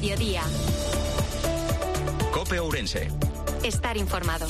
mediodía. COPE Ourense. Estar informado.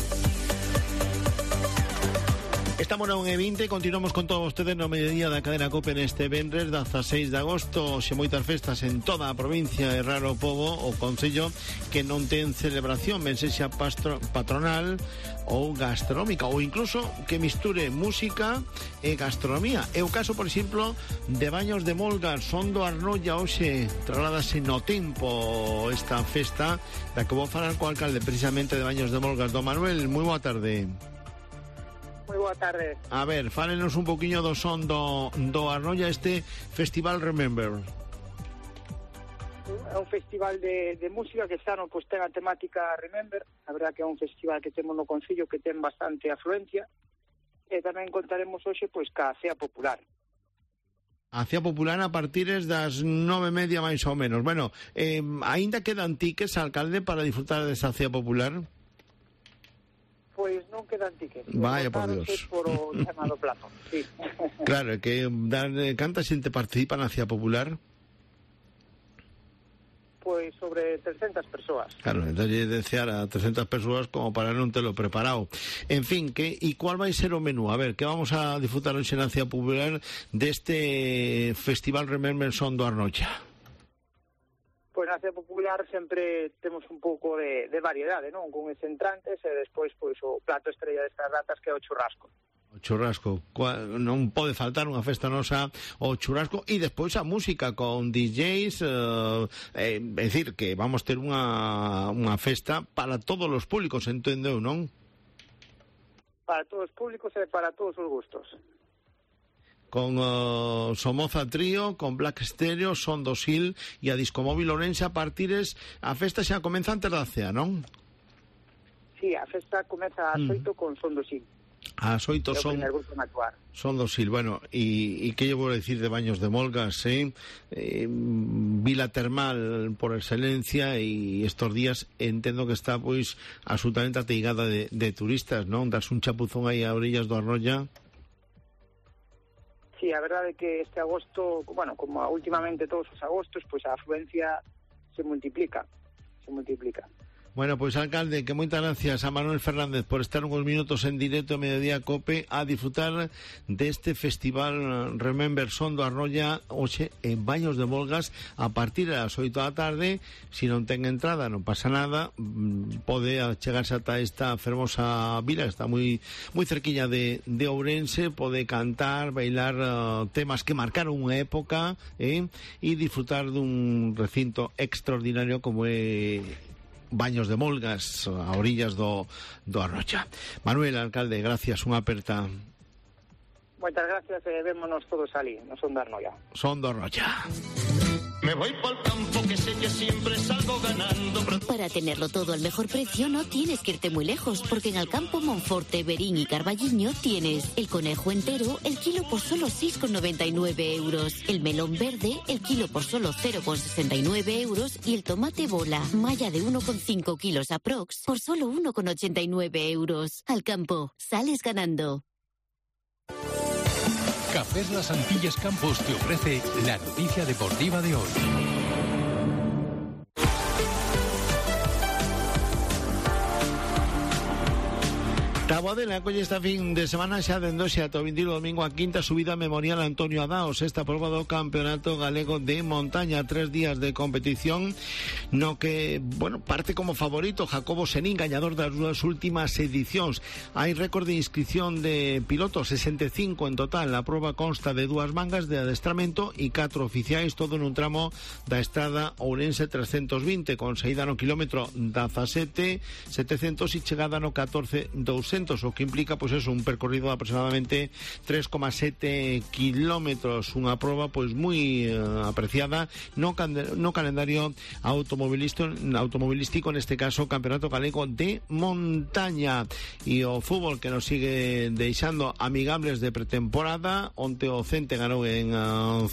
Estamos na 1:20, continuamos con todos ustedes no mediodía da cadena COPE neste venres 16 de agosto, xe moitas festas en toda a provincia, é raro o pobo o concello que non ten celebración, ben sexa patronal ou gastronómica, ou incluso que misture música e gastronomía. É o caso, por exemplo, de Baños de Molgas. Son do Arnolla hoxe, trasladase no tempo esta festa da que vou falar co alcalde precisamente de Baños de Molgas, do Manuel. Moi boa tarde. Moi boa tarde. A ver, fálenos un poquinho do son do Arnolla, este Festival Remember. É un festival de música que xa non pues, ten a temática Remember. A verdad que é un festival que temos no concello que ten bastante afluencia. E tamén contaremos hoxe pois ca Cea Popular. A Cea Popular a partir das 9:30 máis ou menos. Bueno, aínda quedan tickets, alcalde, para disfrutar desa Cea Popular? Pois non quedan tickets. Vaya por Dios. Por o chamado plazo, sí. Claro, que canta xente participa na Cea Popular? Pois sobre 300 persoas. Claro, entón lle desear a 300 persoas como para non telo preparado. En fin, e cuál vai ser o menú? A ver, que vamos a disfrutar hoxe na Cea Popular deste Festival Remember Son do Arnolla? Pois na Cea Popular sempre temos un pouco de variedade, non? Con os entrantes e despois pois o plato estrella destas datas que é o churrasco. O churrasco, non pode faltar unha festa nosa o churrasco e despois a música con DJs, é dicir que vamos ter unha festa para todos os públicos, entendeu, non? Para todos os públicos e para todos os gustos. Con Somoza Trío, con Black Stereo, Son do Sil e a Discomóvil Ourense. A partires, a festa xa comeza antes da cea, non? Sí, a festa comeza ás 8 con Son do Sil. Ás 8 Son do Sil. Bueno, e que lle vou decir de Baños de Molgas, vila termal por excelencia, e estos días entendo que está pois absolutamente ateigada de turistas, non? Das un chapuzón aí a orillas do Arnolla. Sí, a verdade é que este agosto, bueno, como últimamente todos os agostos, pois a afluencia se multiplica. Bueno, pois alcalde, que moitas gracias a Manuel Fernández por estar uns minutos en directo Mediodía COPE a disfrutar deste Festival Remember Son do Arnolla hoxe en Baños de Molgas a partir das 8 da tarde. Si non ten entrada non pasa nada, pode chegarse ata esta fermosa vila, está moi cerquiña de Ourense, pode cantar, bailar temas que marcaron unha época e disfrutar dun recinto extraordinario como é Baños de Molgas, a orillas do Arnolla. Manuel, alcalde, gracias, unha aperta. Moitas gracias e vémonos todos ali, no Son do Arnolla. Son do Arnolla. Me voy por el campo que sé que siempre salgo ganando. Para tenerlo todo al mejor precio no tienes que irte muy lejos, porque en Alcampo, Monforte, Berín y Carballiño tienes el conejo entero, el kilo por solo 6,99 euros, el melón verde, el kilo por solo 0,69 euros y el tomate bola, malla de 1,5 kilos aprox, por solo 1,89 euros. Alcampo, sales ganando. Cafés Las Antillas Campos te ofrece la noticia deportiva de hoy. Taboadela colle esta fin de semana xa dendose ata o 21 domingo a quinta subida memorial Antonio Adaos, esta proba do Campeonato Galego de Montaña, 3 días de competición no que, bueno, parte como favorito Jacobo Senín, gañador das dúas últimas edicións. Hai récord de inscripción de pilotos, 65 en total. A proba consta de 2 mangas de adestramento e 4 oficiais, todo nun tramo da estrada Ourense 320 con saída no kilómetro 17 700 e chegada no 14 200, o que implica pois un percorrido de aproximadamente 3,7 kilómetros, unha proba pois moi apreciada no calendario automovilístico, neste caso Campeonato Galego de Montaña. E o fútbol que nos sigue deixando amigables de pretemporada. Onte o Cente ganou en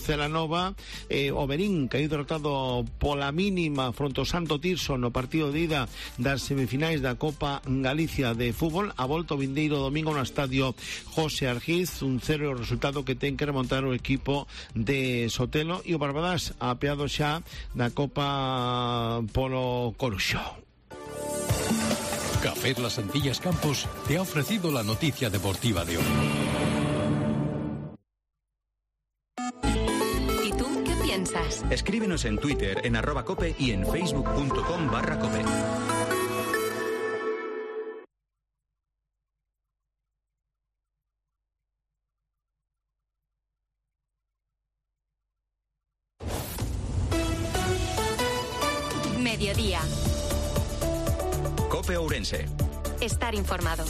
Celanova, o Berín caíu derrotado pola mínima fronte ao Santo Tirso no partido de ida das semifinais da Copa Galicia de fútbol. A volta o vindeiro domingo no estadio José Argiz, un 0 resultado que ten que remontar o equipo de Sotelo, e o Barbadas apeado xa da Copa polo Coruxo. Café Las Antillas Campos te ha ofrecido la noticia deportiva de hoy. ¿Y tú qué piensas? Escríbenos en Twitter en @cope y en facebook.com/cope. Mediodía. Cope Ourense. Estar informado.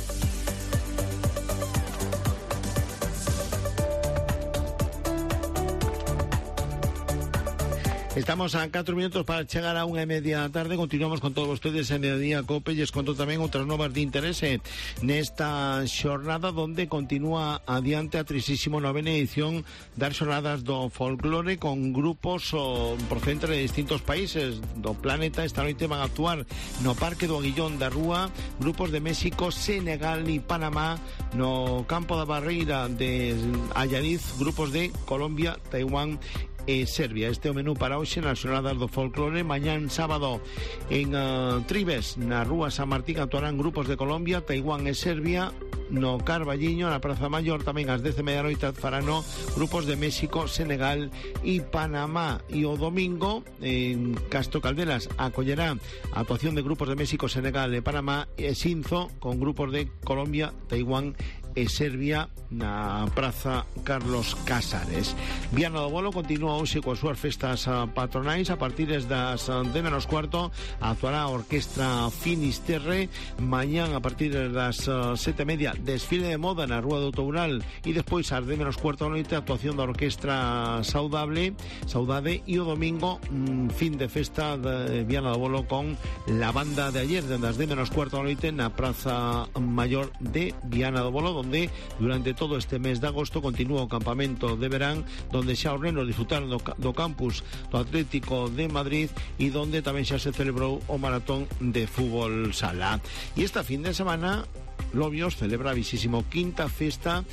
Estamos a 4 minutos para chegar a 1:30 da tarde. Continuamos con todos ustedes en Mediodía Cope e conto tamén outras novas de interese nesta xornada onde continúa adiante a 39ª edición das xornadas do folclore con grupos procedentes de distintos países do planeta. Esta noite van a actuar no Parque do Aguillón da Rúa grupos de México, Senegal e Panamá, no Campo da Barreira de Allariz grupos de Colombia, Taiwán e Serbia. Este é o menú para hoxe nas xornadas do folclore. Mañán sábado en Tribes, na Rúa San Martín, actuarán grupos de Colombia, Taiwán e Serbia. No Carballiño, na Praza Mayor, tamén ás 10:30 farano grupos de México, Senegal e Panamá. E o domingo en Castro Caldelas acollerá a actuación de grupos de México, Senegal e Panamá, e Xinzo con grupos de Colombia, Taiwán e Serbia na Praza Carlos Casares. Viana do Bolo continúa hoxe coas súas festas patronais. A partir das 10:15 actuará a Orquestra Finisterre. Mañán a partir das 7:30 desfile de moda na Rúa do Toural e despois ás 10:15 da noite actuación da Orquestra Saudade, e o domingo fin de festa de Viana do Bolo con la banda de ayer desde as 10:15 da noite na Praza Mayor de Viana do Bolo, donde durante todo este mes de agosto continúa o campamento de verán, donde xa os nenos disfrutaron do campus do Atlético de Madrid e donde tamén xa se celebrou o maratón de fútbol sala. E esta fin de semana Lobios celebra a 25ª festa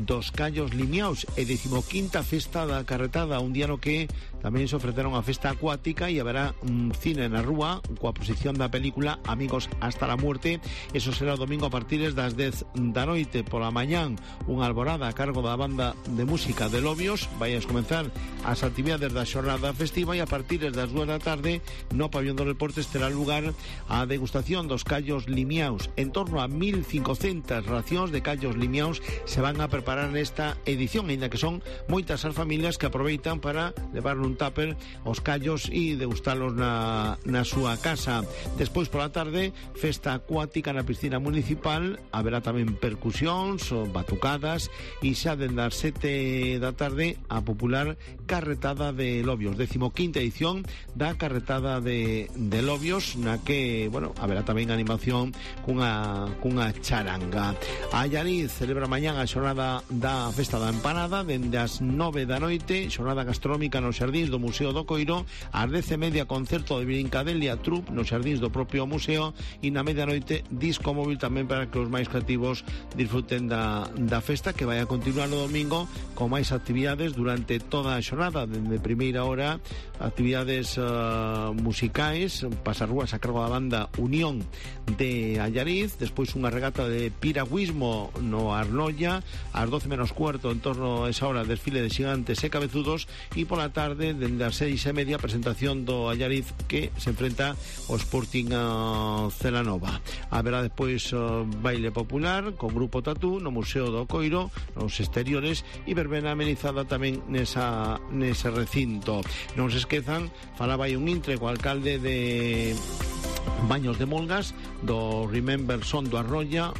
dos Callos Limiaos e 15ª festa da Carretada, un día no que tamén se ofreceron a festa acuática e haberá un cine na rúa coa posición da película Amigos hasta la muerte. Eso será o domingo a partir das 10 da noite. Pola mañán unha alborada a cargo da banda de música de Lobios. Vai a comenzar as actividades da xornada festiva e a partir das 2 da tarde no Pabellón dos Deportes terá lugar a degustación dos Callos Limiaos. En torno a 1.500 racións de Callos Limiaos se van a preparar nesta edición, ainda que son moitas as familias que aproveitan para levar un tupper os callos e degustalos na súa casa. Despois pola tarde, festa acuática na piscina municipal, haberá tamén percusións, batucadas e xa dende as 7 da tarde a popular Carretada de Lobios, 15ª edición da Carretada de Lobios, na que, bueno, haberá tamén animación cunha charanga. A Allariz celebra mañán a xornada da festa da empanada dende as 9 da noite, xornada gastronómica nos xardíns do Museo do Coiro, ás 10:30 concerto de Brincadelia Troupe nos xardíns do propio museo e na medianoite disco móvil tamén para que os máis creativos disfruten da festa, que vai a continuar no domingo con máis actividades durante toda a xornada, dende primeira hora actividades musicais, pasarrúas a cargo da banda Unión de Allariz, despois unha regata de piragüismo no Arnolla, ás 12:15 en torno a esa hora desfile de xigantes e cabezudos e pola tarde dende as 6:30 presentación do Allariz que se enfrenta ao Sporting Celanova. Haberá despois baile popular con grupo Tatú no Museo do Coiro, nos exteriores e verbena amenizada tamén nese recinto. Non se esquezan, falaba aí un intre co alcalde de Baños de Molgas do Remember Son do Arrolla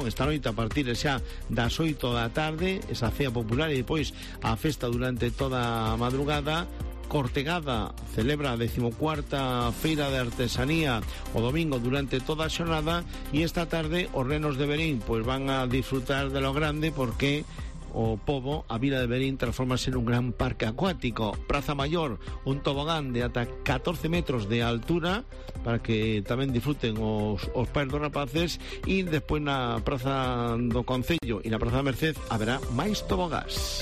esta noite a partir xa das 8 da tarde, esa cea popular e depois a festa durante toda a madrugada. Cortegada celebra a 14ª Feira de Artesanía o domingo durante toda a xornada e esta tarde os renos de Berín pois van a disfrutar de lo grande porque o Pobo, a Vila de Verín transformarse en un gran parque acuático. Praza Mayor, un tobogán de ata 14 metros de altura para que tamén disfruten os pais dos rapaces, e despois na Praza do Concello e na Praza da Merced haberá máis tobogás.